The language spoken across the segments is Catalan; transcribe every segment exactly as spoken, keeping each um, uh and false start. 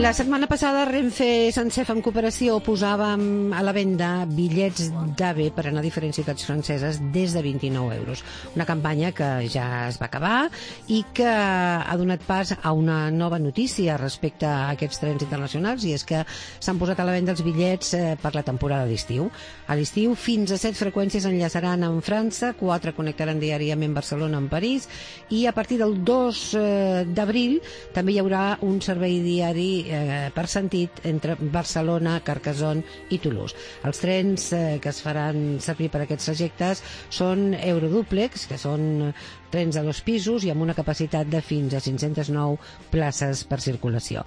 La setmana passada Renfe Sancef en cooperació posàvem a la venda bitllets d'AVE per anar a diferents ciutats franceses des de vint-i-nou euros. Una campanya que ja es va acabar i que ha donat pas a una nova notícia respecte a aquests trens internacionals, i és que s'han posat a la venda els bitllets per la temporada d'estiu. A l'estiu fins a set freqüències enllaçaran amb França, quatre connectaran diàriament Barcelona amb París, i a partir del dos d'abril també hi haurà un servei diari Eh, per sentit entre Barcelona, Carcassonne i Toulouse. Els trens eh, que es faran servir per aquests trajectes són Eurodúplex, que són trens de dos pisos i amb una capacitat de fins a cinc-centes nou places per circulació.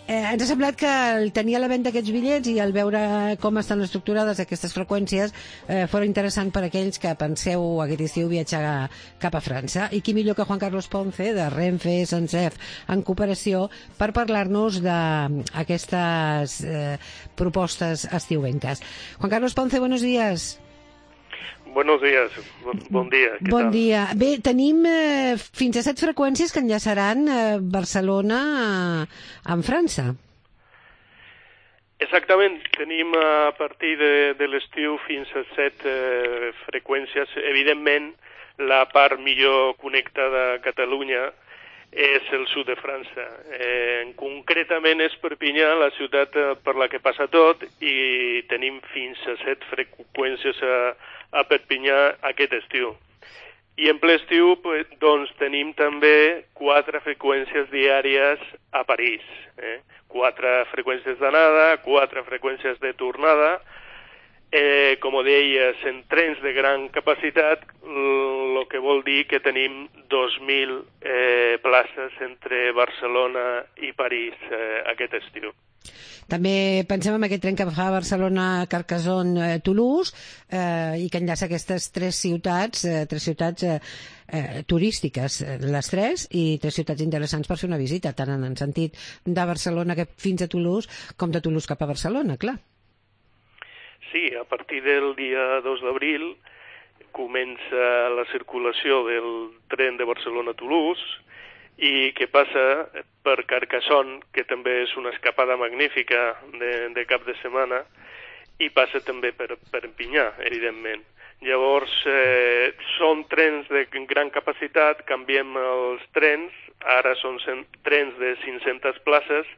Eh, ens ha semblat que el tenir a la venda aquests bitllets i el veure com estan estructurades aquestes freqüències eh, fora interessant per a aquells que penseu aquest estiu viatjar cap a França. I qui millor que Juan Carlos Ponce, de Renfe Sancef en cooperació, per parlar-nos d'aquestes eh, propostes estiuenques. Juan Carlos Ponce, buenos días. Buenos días, bon dia. Bon dia. Bé, tenim eh, fins a set freqüències que enllaçaran eh, Barcelona eh, amb França. Exactament, tenim a partir de, de l'estiu fins a set eh, freqüències. Evidentment, la part millor connectada a Catalunya és el sud de França. Eh, concretament és Perpinyà, la ciutat per la que passa tot, i tenim fins a set freqüències a, a Perpinyà aquest estiu. I en ple estiu, pues, doncs, tenim també quatre freqüències diàries a París. Eh? Quatre freqüències d'anada, quatre freqüències de tornada. Eh, com deies, en trens de gran capacitat, el que vol dir que tenim dos mil eh, places entre Barcelona i París eh, aquest estiu. També pensem en aquest tren que fa Barcelona, Carcassonne, Toulouse, eh, i que enllaça aquestes tres ciutats, eh, tres ciutats eh, eh, turístiques, les tres, i tres ciutats interessants per fer una visita, tant en el sentit de Barcelona fins a Toulouse, com de Toulouse cap a Barcelona, clar. Sí, a partir del dia dos d'abril comença la circulació del tren de Barcelona a Toulouse, i que passa per Carcassonne, que també és una escapada magnífica de, de cap de setmana, i passa també per Perpinyà, evidentment. Llavors, eh, són trens de gran capacitat, canviem els trens, ara són trens de cinc-centes places,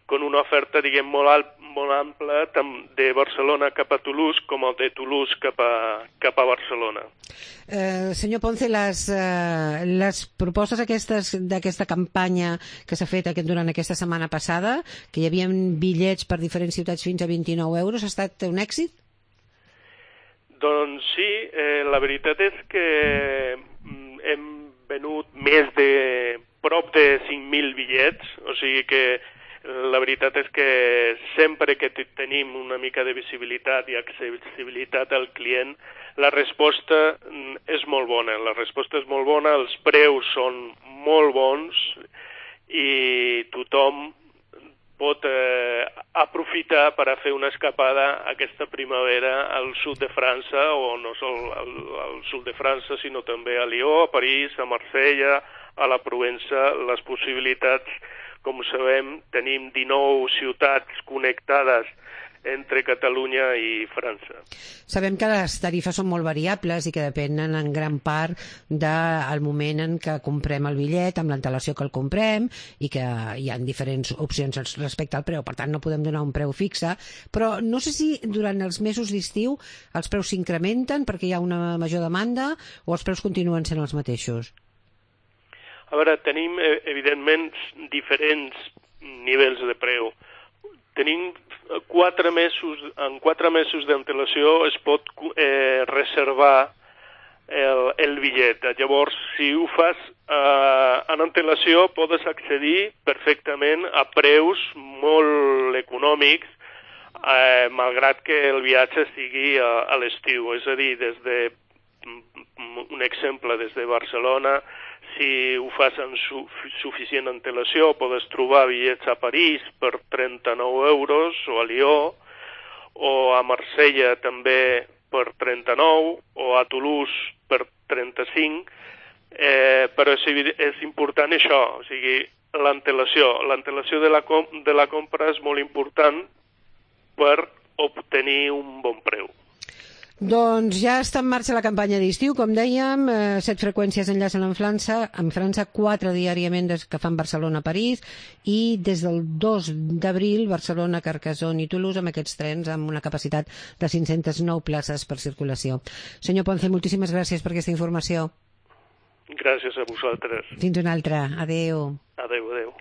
con una oferta, diguem, molt, alt, molt ampla, tant de Barcelona cap a Toulouse com el de Toulouse cap a, cap a Barcelona. Eh, senyor Ponce, les, eh, les propostes aquestes d'aquesta campanya que s'ha fet aquest, durant aquesta setmana passada, que hi havia bitllets per diferents ciutats fins a vint-i-nou euros, ha estat un èxit? Doncs sí, eh, la veritat és que hem venut més de prop de cinc mil bitllets, o sigui que la veritat és que sempre que tenim una mica de visibilitat i accessibilitat al client, la resposta és molt bona. La resposta és molt bona, els preus són molt bons i tothom pot eh, aprofitar per a fer una escapada aquesta primavera al sud de França, o no sol al, al sud de França, sinó també a Lió, a París, a Marsella, a la Provença. Les possibilitats, com sabem, tenim dinou ciutats connectades entre Catalunya i França. Sabem que les tarifes són molt variables i que depenen en gran part del moment en què comprem el bitllet, amb l'antelació que el comprem, i que hi ha diferents opcions respecte al preu, per tant no podem donar un preu fixe, però no sé si durant els mesos d'estiu els preus s'incrementen perquè hi ha una major demanda o els preus continuen sent els mateixos. A veure, tenim, evidentment, diferents nivells de preu. Tenim quatre mesos, en quatre mesos d'antelació es pot eh, reservar el, el bitllet. Llavors, si ho fas eh, en antelació, podes accedir perfectament a preus molt econòmics, eh, malgrat que el viatge sigui a, a l'estiu. És a dir, des de, un exemple, des de Barcelona, si ho fas en su suficient antelació, podes trobar bitllets a París per trenta-nou euros, o a Lió, o a Marsella també per trenta-nou, o a Toulouse per trenta-cinc, eh, però és, és important això, o sigui, l'antelació. L'antelació de, la com de la compra és molt important per obtenir un bon preu. Doncs ja està en marxa la campanya d'estiu, com dèiem, eh, set freqüències enllacen amb França, amb França quatre diàriament des que fan Barcelona-París i des del dos d'abril Barcelona, Carcassonne i Toulouse amb aquests trens amb una capacitat de cinc-centes nou places per circulació. Senyor Ponce, moltíssimes gràcies per aquesta informació. Gràcies a vosaltres. Fins una altra. Adéu. Adéu, adéu.